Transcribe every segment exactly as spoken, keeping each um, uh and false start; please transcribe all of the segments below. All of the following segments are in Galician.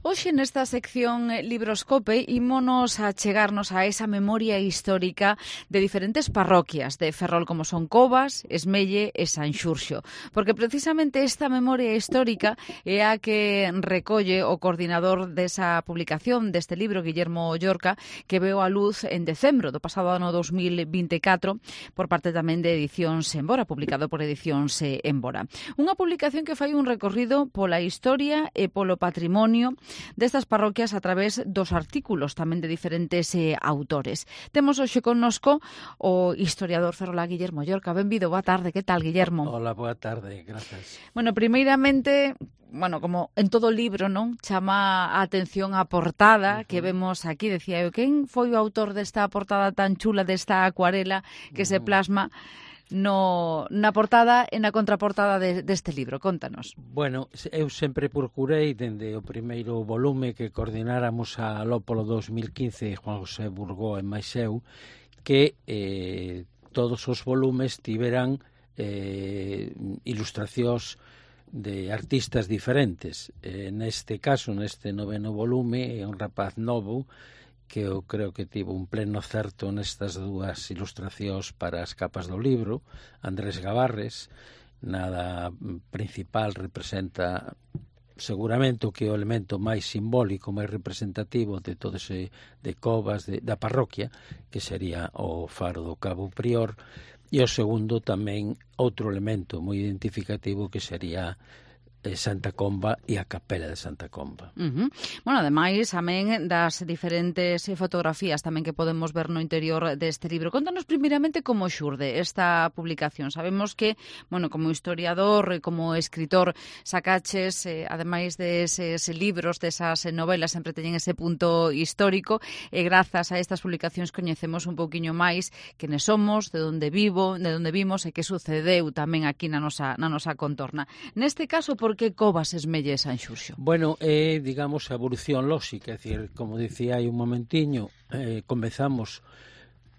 Hoxe nesta sección Libroscope ímonos a chegarnos a esa memoria histórica de diferentes parroquias de Ferrol como son Covas, Esmelle e Sanxurxo, porque precisamente esta memoria histórica é a que recolle o coordinador desa publicación deste libro, Guillermo Llorca, que veo a luz en decembro do pasado ano dos mil vinte e catro por parte tamén de Edicións Embora, publicado por Edicións Embora. Unha publicación que fai un recorrido pola historia e polo patrimonio destas parroquias a través dos artículos tamén de diferentes eh, autores. Temos hoxe connosco o historiador ferrolá Guillermo Llorca. Benvido, boa tarde. Que tal, Guillermo? Hola, boa tarde, grazas. Bueno, primeiramente, bueno, como en todo libro, non? Chama a atención a portada uh -huh. que vemos aquí. Decía eu, quen foi o autor desta portada tan chula, desta acuarela que uh -huh. se plasma no, na portada e na contraportada de, deste libro? Contanos. Bueno, eu sempre procurei, dende o primeiro volume que coordináramos a Lópolo dos mil quince, Juan José Burgó e máis eu, que eh, todos os volumes tiveran eh, ilustracións de artistas diferentes. Eh, neste caso, neste noveno volume, é un rapaz novo que eu creo que tivo un pleno certo nestas dúas ilustracións para as capas do libro. Andrés Gavarres, nada principal, representa seguramente o que é o elemento máis simbólico, máis representativo de todo ese de Covas, de, da parroquia, que sería o faro do Cabo Prior, e o segundo tamén outro elemento moi identificativo que sería Santa Comba e a capela de Santa Comba. Uh -huh. Bueno, ademais, tamén das diferentes fotografías tamén que podemos ver no interior deste libro. Contanos primeiramente como xurde esta publicación. Sabemos que, bueno, como historiador e como escritor sacaches, eh, ademais deses libros, desas novelas, sempre teñen ese punto histórico, e grazas a estas publicacións coñecemos un pouquiño máis quenes somos, de onde vivo, de onde vimos e que sucedeu tamén aquí na nosa, na nosa contorna. Neste caso, por que Covas, Esmelle e Sanxurxo? Bueno, é, digamos, a evolución lóxica, é dicir, como dicía hai un momentiño, eh, comezamos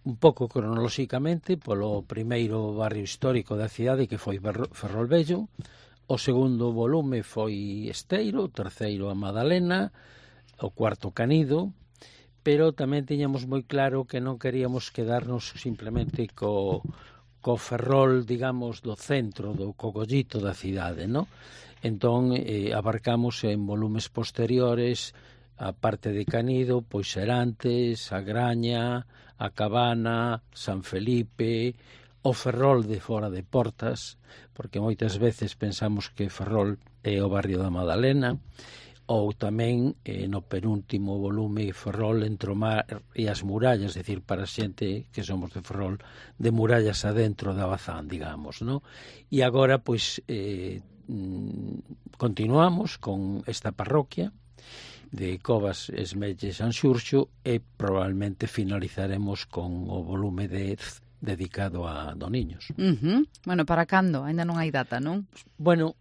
un pouco cronolóxicamente polo primeiro barrio histórico da cidade, que foi Ferrol Vello. O segundo volume foi Esteiro, o terceiro a Madalena, o cuarto Canido, pero tamén tiñamos moi claro que non queríamos quedarnos simplemente co, co Ferrol, digamos, do centro, do cogollito da cidade, non? Entón, eh, abarcamos en volumes posteriores a parte de Canido, pois Serantes, a Graña, a Cabana, San Felipe, o Ferrol de fora de Portas, porque moitas veces pensamos que Ferrol é o barrio da Madalena, ou tamén eh, no penúltimo volume Ferrol entre o mar e as murallas, é dicir, para xente que somos de Ferrol, de murallas adentro da Bazán, digamos, non? E agora, pois, eh, continuamos con esta parroquia de Covas, Esmelle e Sanxurxo, e probablemente finalizaremos con o volume dez dedicado a Doniños. Uh -huh. Bueno, para cando? Ainda non hai data, non? Bueno,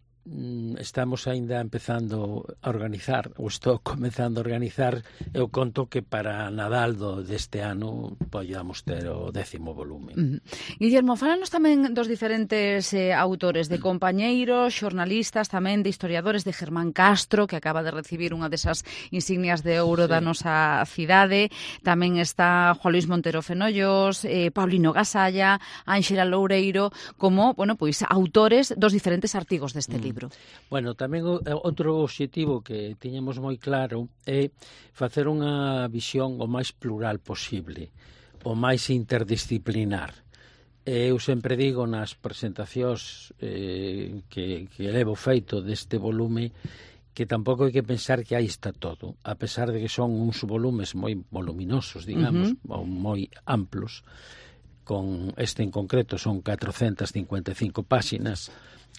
estamos aínda empezando a organizar, ou estou comenzando a organizar. Eu conto que para Nadal do deste ano podamos ter o décimo volume. Uh -huh. Guillermo, fálanos tamén dos diferentes eh, autores, de compañeiros, xornalistas, tamén de historiadores, de Germán Castro, que acaba de recibir unha desas insignias de ouro sí. da nosa cidade. Tamén está Juan Luis Montero Fenollos, eh, Paulino Gasalla, Ánxela Loureiro, como, bueno, pois autores dos diferentes artigos deste libro. Libro. Bueno, tamén o, outro obxectivo que tiñamos moi claro é facer unha visión o máis plural posible, o máis interdisciplinar. Eu sempre digo nas presentacións eh, que, que levo feito deste volume que tampouco hai que pensar que aí está todo, a pesar de que son uns volumes moi voluminosos, digamos, uh -huh. ou moi amplos. Con este en concreto son catrocentas cincuenta e cinco páxinas,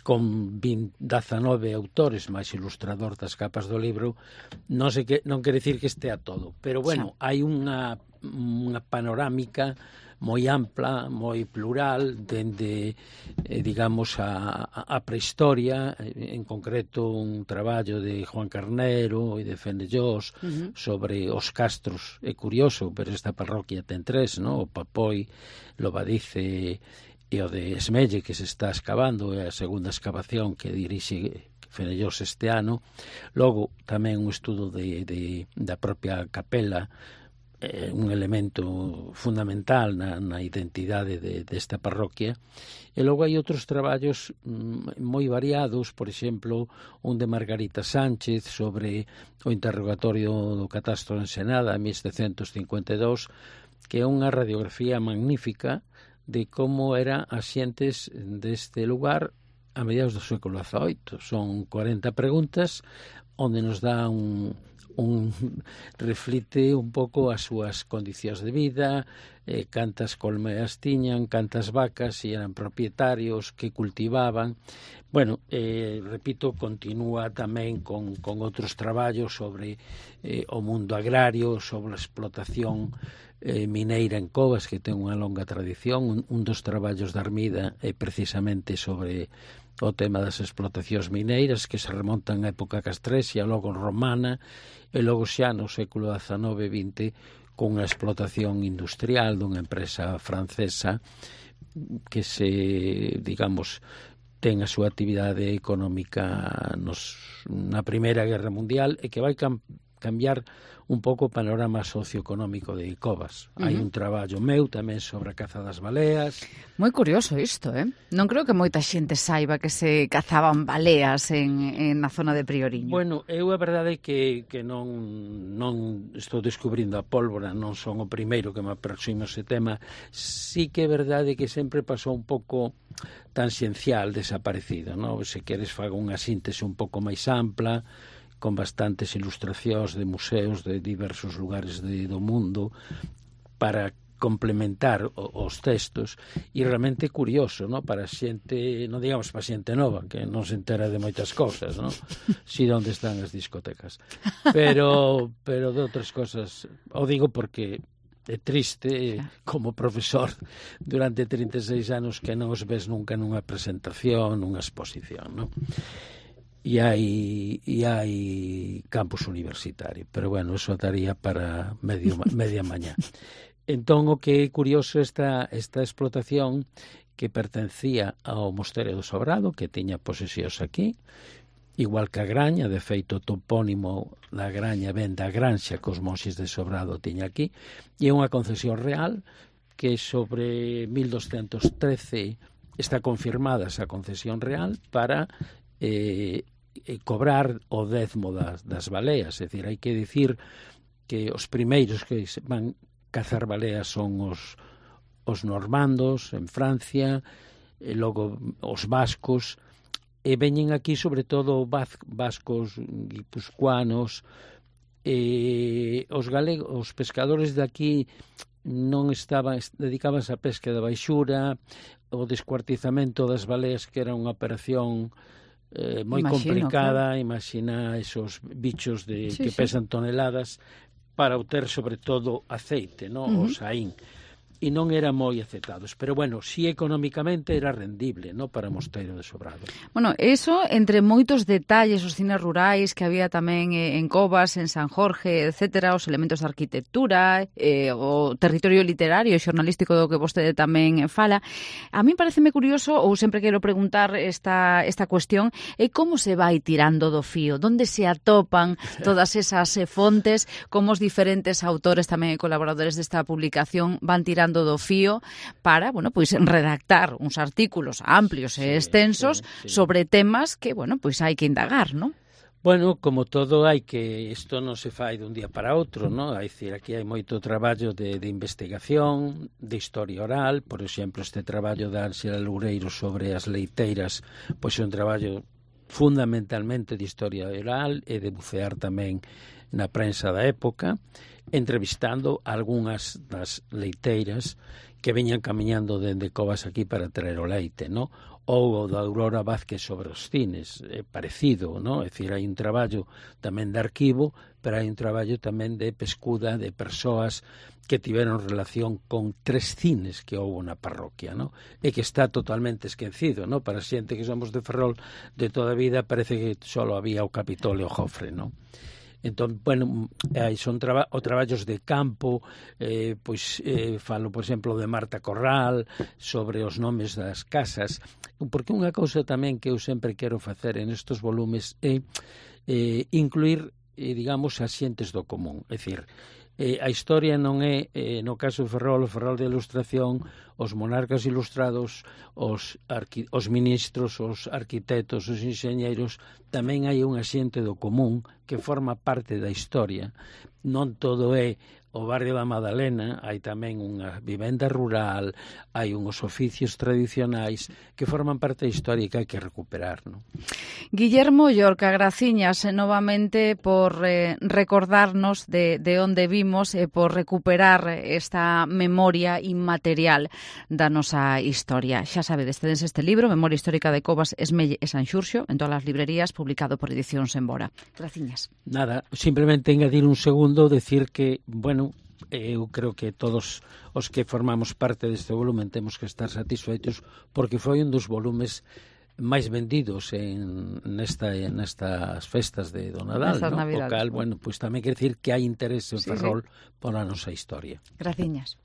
con dezanove autores máis ilustrador das capas do libro. Non sei que, non quere dicir que estea todo, pero bueno, hai unha, unha panorámica moi ampla, moi plural, dende, eh, digamos, a, a prehistoria, en concreto un traballo de Juan Carnero e de Fenellós uh -huh. sobre os castros. É curioso, pero esta parroquia ten tres, no? O Papoi, Lobadice e o de Esmelle, que se está escavando, é a segunda excavación que dirixe Fenellosa este ano. Logo, tamén un estudo de, de, da propia capela, eh, un elemento fundamental na, na identidade de, desta parroquia. E logo hai outros traballos mm, moi variados, por exemplo, un de Margarita Sánchez sobre o interrogatorio do catastro de Ensenada en mil setecentos cincuenta e dous, que é unha radiografía magnífica de como eran as xentes deste lugar a mediados do século dezaoito. Son cuarenta preguntas onde nos dá un un reflite un pouco as súas condicións de vida, eh, cantas colmeas tiñan, cantas vacas, se eran propietarios, que cultivaban. Bueno, eh, repito, continúa tamén con, con outros traballos sobre eh, o mundo agrario, sobre a explotación eh, mineira en Covas, que ten unha longa tradición. Un, un dos traballos da Armida é precisamente sobre o tema das explotacións mineiras, que se remontan á época castrexa, logo romana, e logo xa no século dezanove e vinte con unha explotación industrial dunha empresa francesa que se, digamos, ten a súa actividade económica nos, na Primeira Guerra Mundial e que vai cam cambiar un pouco o panorama socioeconómico de Covas. Uh -huh. Hai un traballo meu tamén sobre a caza das baleas. Moi curioso isto, eh? Non creo que moita xente saiba que se cazaban baleas en, en na zona de Prioriño. Bueno, eu a verdade é que, que non, non estou descubrindo a pólvora, non son o primeiro que me aproximo a ese tema. Sí que é verdade que sempre pasou un pouco tangencial, desaparecido, non? Se queres faga unha síntese un pouco máis ampla, con bastantes ilustracións de museos de diversos lugares de, do mundo para complementar o, os textos, e realmente é curioso, ¿no? Para xente, non digamos para xente nova, que non se entera de moitas cousas, ¿no? Si onde están as discotecas. Pero, pero de outras cosas, o digo porque é triste, como profesor durante trinta e seis anos, que non os ves nunca nunha presentación, nunha exposición, ¿no? E hai, e hai campus universitario, pero bueno, eso daría para medio, media mañá. Entón, o que é curioso esta, esta explotación que pertencía ao Mosteiro do Sobrado, que tiña posesións aquí, igual que a Graña, de feito o topónimo da Graña ven da Granxa que os monxes de Sobrado tiña aquí, e é unha concesión real que sobre mil doscientos trece está confirmada esa concesión real para eh, cobrar o décimo das, das baleas. É dicir, hai que dicir que os primeiros que van cazar baleas son os, os normandos en Francia, e logo os vascos, e veñen aquí sobre todo vascos guipuscoanos, e os galegos, os pescadores de aquí non estaban, dedicábanse á pesca da baixura, o descuartizamento das baleas, que era unha operación Eh, moi Imagino, complicada, claro. Imagina esos bichos de, sí, que pesan sí. toneladas para obter sobre todo aceite, ¿no? Uh -huh. O saín. E non era moi aceptados, pero bueno, si económicamente era rendible, ¿no? Para o Mosteiro de Sobrado. Bueno, eso, entre moitos detalles, os cines rurais que había tamén en Covas, en San Jorge, etcétera, os elementos de arquitectura, eh, o territorio literario e xornalístico do que vostede tamén fala, a mí pareceme curioso, ou sempre quero preguntar esta, esta cuestión, é como se vai tirando do fío, donde se atopan todas esas fontes, como os diferentes autores tamén e colaboradores desta publicación van tirando do fío para, bueno, pois redactar uns artículos amplios e extensos sí, sí. sobre temas que, bueno, pois hai que indagar, ¿no? Bueno, como todo, hai que isto non se fai dun día para outro, ¿no? Hai dicir, aquí hai moito traballo de, de investigación, de historia oral, por exemplo, este traballo de Ángela Loureiro sobre as leiteiras, pois é un traballo fundamentalmente de historia oral e de bucear tamén na prensa da época, entrevistando algunhas das leiteiras que veñan camiñando dende Covas aquí para traer o leite, ¿no? Ou o da Aurora Vázquez sobre os cines, é parecido, ¿no? É dicir, hai un traballo tamén de arquivo, pero hai un traballo tamén de pescuda de persoas que tiveron relación con tres cines que houve na parroquia, ¿no? E que está totalmente esquecido, ¿no? Para xente que somos de Ferrol de toda a vida parece que só había o Capitolio e o Jofre, ¿no? Entón, bueno, aí son traba o traballos de campo, eh, pois eh, falo, por exemplo, de Marta Corral, sobre os nomes das casas, porque unha cousa tamén que eu sempre quero facer en estes volumes é eh, incluir, eh, digamos, as xentes do común, é dicir, Eh, a historia non é, eh, no caso de Ferrol, o Ferrol de Ilustración, os monarcas ilustrados, os, arqui os ministros, os arquitectos, os enxeñeiros, tamén hai unha xente do común que forma parte da historia. Non todo é o barrio da Madalena, hai tamén unha vivenda rural, hai uns oficios tradicionais que forman parte da historia que hai que recuperar, non? Guillermo Llorca, graciñas eh, novamente por eh, recordarnos de, de onde vimos e eh, por recuperar esta memoria inmaterial da nosa historia. Xa sabedes, tedes este libro, Memoria Histórica de Covas, Esmelle e Sanxurxo, en todas as librerías, publicado por Edicións Embora. Graciñas. Nada, simplemente engadir un segundo, decir que, bueno, eu creo que todos os que formamos parte deste volumen temos que estar satisfeitos porque foi un dos volumes máis vendidos en nesta nestas festas de do Nadal, Nestas ¿no? Navidades. O cal, bueno, pois pues, tamén quer decir que hai interese en Sí, Ferrol sí. pola nosa historia. Graciñas.